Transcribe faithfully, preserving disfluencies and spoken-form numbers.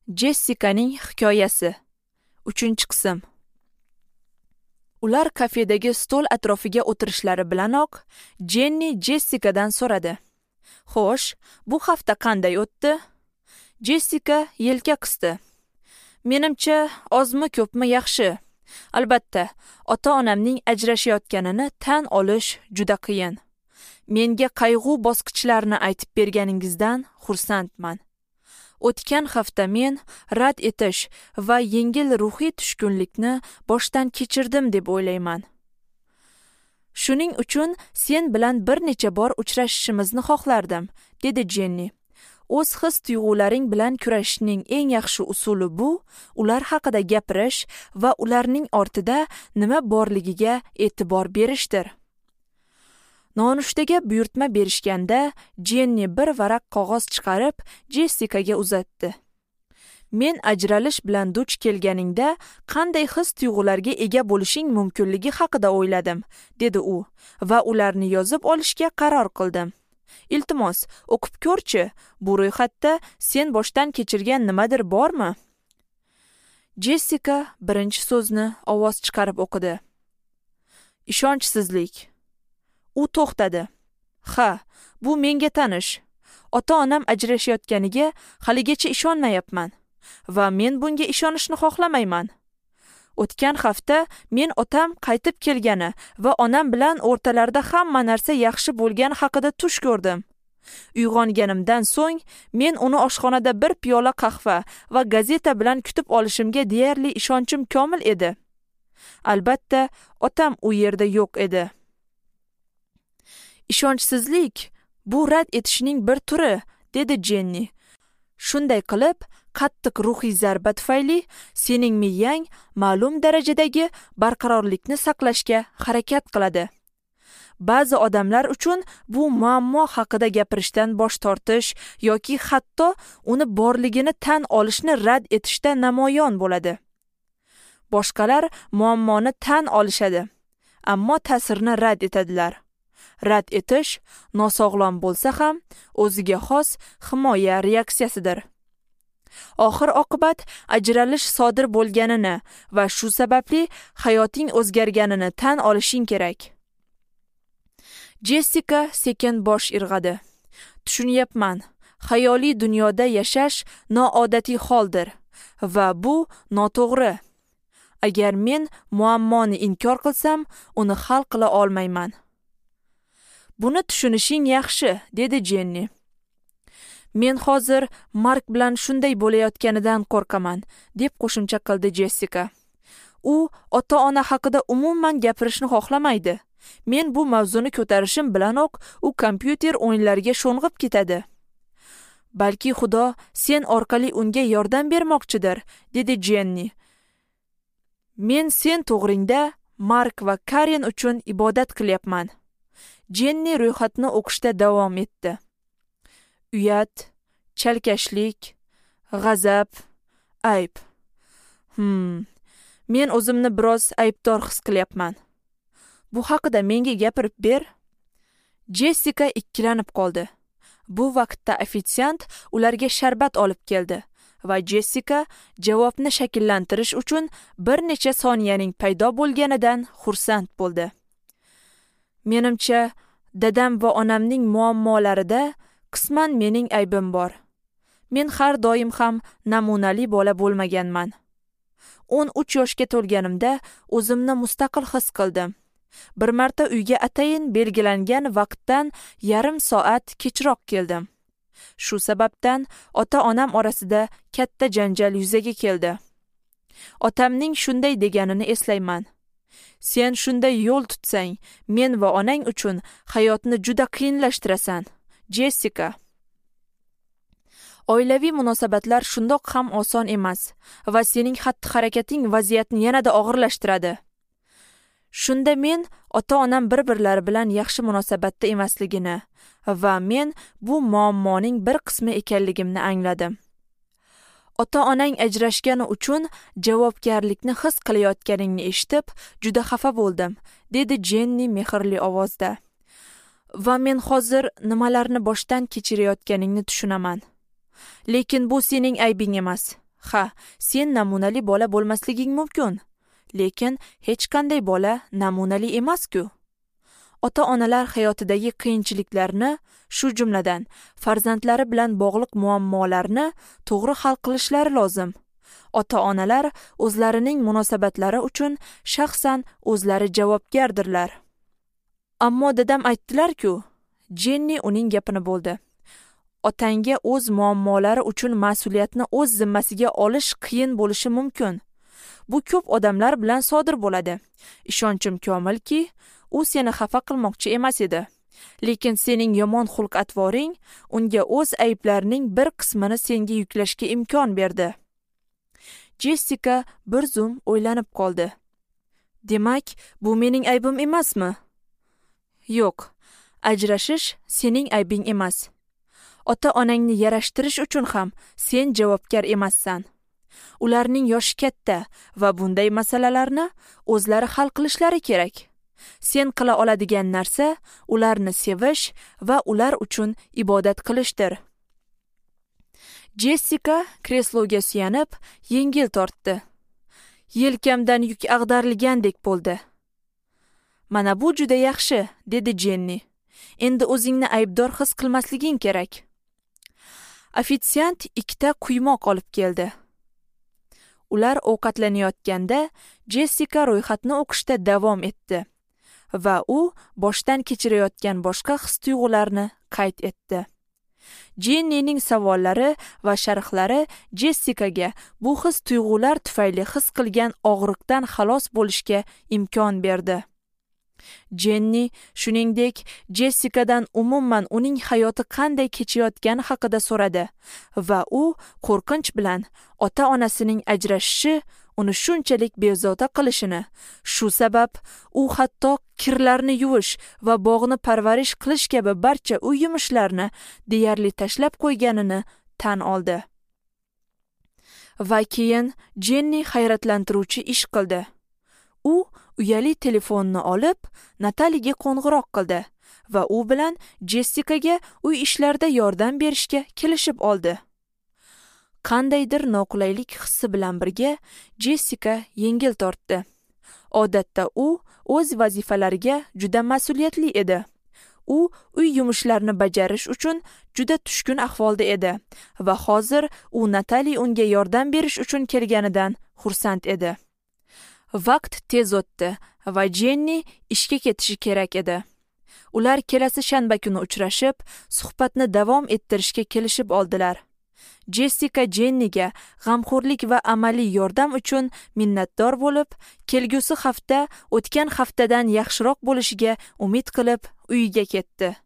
Jessikaning hikoyasi. Uchinchi qism. Ular kafedagi stol atrofiga o'tirishlari bilanoq Jenni Jessikadan so'radi. "Xo'sh, bu hafta qanday o'tdi?" Jessika yelka qisdi. "Menimcha, ozmi ko'pmi yaxshi. Albatta, ota-onamning ajrashayotganini tan olish juda qiyin. Menga qayg'u bosqichlarini aytib berganingizdan xursandman. O'tgan hafta men rad etish va yengil ruhiy tushkunlikni boshdan kechirdim deb o'ylayman. Shuning uchun sen bilan bir necha bor uchrashishimizni xohlardim, dedi Jenni. O'z his-tuyg'ularing bilan kurashishning eng yaxshi usuli bu ular haqida gapirish va ularning ortida nima borligiga e'tibor berishdir. Nonushtaga buyurtma berishganda Jenni bir varaq qog'oz chiqarib Jessikaga uzatdi. Men ajralish bilan duch kelganingda qanday his-tuyg'ularga ega bo'lishing mumkinligi haqida o'yladim, dedi u va ularni yozib olishga qaror qildim. Iltimos, o'qib ko'rchi, bu ro'yxatda sen boshdan kechirgan nimadir bormi? Jessika birinchi so'zni ovoz chiqarib o'qidi. Ishonchsizlik. U to'xtadi. Ha, bu menga tanish. Ota-onam ajrashayotganiga haligacha ishonmayapman va men bunga ishonishni xohlamayman. O'tgan hafta men otam qaytib kelgani va onam bilan o'rtalarida hamma narsa yaxshi bo'lgani haqida tush ko'rdim. Uyg'onganimdan so'ng men uni oshxonada bir piyola qahva va gazeta bilan kutib olishimga deyarli ishonchim komil edi. Albatta, otam u yerda yo'q edi. Ishonchsizlik bu rad etishning bir turi, dedi Jenni. Shunday qilib, qattiq ruhiy zarba tufayli sening miyang ma'lum darajadagi barqarorlikni saqlashga harakat qiladi. Ba'zi odamlar uchun bu muammo haqida gapirishdan bosh tortish yoki hatto uni borligini tan olishni rad etishda namoyon bo'ladi. Boshqalar muammoni tan olishadi, ammo ta'sirini rad etadilar. Rad etish nosog'lom bo'lsa ham o'ziga xos himoya reaksiyasidir. Oxir oqibat ajralish sodir bo'lganini va shu sababli hayoting o'zgarganini tan olishing kerak. Jessika sekin bosh irg'adi. Tushunyapman. Xayoliy dunyoda yashash noodatiy holdir va bu noto'g'ri. Agar men muammoni inkor qilsam, uni hal qila olmayman. Buni tushunishing yaxshi, dedi Jenni. Men hozir Mark bilan shunday bo'layotganidan qo'rqaman, deb qo'shimcha qildi Jessika. U ota-ona haqida umuman gapirishni xohlamaydi. Men bu mavzuni ko'tarishim bilanoq u kompyuter o'yinlariga sho'ng'ib ketadi. Balki Xudo sen orqali unga yordam bermoqchidir, dedi Jenni. Men sen to'g'ringda Mark va Karen uchun ibodat qilyapman. Jenni ro'yxatni o'qishda davom etdi. Uyat, chalkashlik, g'azab, ayb. Hmm, men o'zimni biroz aybdor his qilyapman. Bu haqida menga gapirib ber. Jessika ikkilanib qoldi. Bu vaqtda ofitsiant ularga sharbat olib keldi va Jessika javobni shakllantirish uchun bir necha soniyaning paydo bo'lganidan xursand bo'ldi. Menimcha, dadam va onamning muammolarida qisman mening aybim bor. Men har doim ham namunali bola bo'lmaganman. o'n uch yoshga to'lganimda o'zimni mustaqil his qildim. Bir marta uyga atayin belgilangan vaqtdan yarim soat kechroq keldim. Shu sababdan ota-onam orasida katta janjal yuzaga keldi. Otamning shunday deganini eslayman. Sen shunday yo'l tutsang, men va onang uchun hayotni juda qiyinlashtirasan. Jessika. Oilaviy munosabatlar shundoq ham oson emas va sening xatti-harakating vaziyatni yanada og'irlashtiradi. Shunda men ota-onam bir-birlari bilan yaxshi munosabatda emasligini va men bu muammoning bir qismi ekanligimni angladim. Ota-onang ajrashgani uchun javobgarlikni his qilayotganingni eshitib, juda xafa bo'ldim, dedi Jenni mehrli ovozda. Va men hozir nimalarni boshdan kechirayotganingni tushunaman. Lekin bu sening aybing emas. Ha, sen namunali bola bo'lmasliging mumkin, lekin hech qanday bola namunali emas-ku. Ota-onalar hayotidagi qiyinchiliklarni, shu jumladan farzandlari bilan bog'liq muammolarni to'g'ri hal qilishlari lozim. Ota-onalar o'zlarining munosabatlari uchun shaxsan o'zlari javobgardirlar. Ammo dadam aytdilar-ku, Jenni uning gapini bo'ldi. Otangga o'z muammolari uchun mas'uliyatni o'z zimmasiga olish qiyin bo'lishi mumkin. Bu ko'p odamlar bilan sodir bo'ladi. Ishonchim komilki, u seni xafa qilmoqchi emas edi. Lekin sening yomon xulq-atvoring unga o'z ayblarining bir qismini senga yuklashga imkon berdi. Jessika bir zum o'ylanib qoldi. Demak, bu mening aybim emasmi? Yo'q, ajrashish sening aybing emas. Ota-onangni yarashtirish uchun ham sen javobgar emassan. Ularning yoshi katta va bunday masalalarni o'zlari hal qilishlari kerak. Sen qila oladigan narsa ularni sevish va ular uchun ibodat qilishdir. Jessika kresloga suyanib, yengil tortdi. Yelkamdan yuk ag'darilgandek bo'ldi. Mana bu juda yaxshi, dedi Jenni. Endi o'zingni aybdor his qilmasliging kerak. Ofitsiant ikkita quymoq olib keldi. Ular ovqatlanayotganda Jessika ro'yxatni o'qishda davom etdi va u boshdan kechirayotgan boshqa his-tuyg'ularni qayd etdi. Jennining savollari va sharhlari Jessikaga bu his-tuyg'ular tufayli his qilgan og'riqdan xalos bo'lishga imkon berdi. Jenni shuningdek Jessikadan umuman uning hayoti qanday kechayotgani haqida so'radi va u qo'rqinch bilan ota-onasining ajrashishi uni shunchalik bezovta qilishini, shu sabab u hatto kirlarni yuvish va bog'ni parvarish qilish kabi barcha uy yumushlarini deyarli tashlab qo'yganini tan oldi. Va keyin Jenni hayratlantiruvchi ish qildi. U uyali telefonni olib, Nataliga qo'ng'iroq qildi va u bilan Jessikaga uy ishlarida yordam berishga kelishib oldi. Qandaydir noqulaylik hissi bilan birga Jessika yengil tortdi. Odatda u o'z vazifalariga juda mas'uliyatli edi. U uy yumushlarini bajarish uchun juda tushkun ahvolda edi va hozir u Natali unga yordam berish uchun kelganidan xursand edi. Vaqt tez o'tdi va Jenni ishga ketishi kerak edi. Ular kelasi shanba kuni uchrashib, suhbatni davom ettirishga kelishib oldilar. Jessika Jenniga g'amxo'rlik va amaliy yordam uchun minnatdor bo'lib, kelgusi hafta o'tgan haftadan yaxshiroq bo'lishiga umid qilib uyiga ketdi.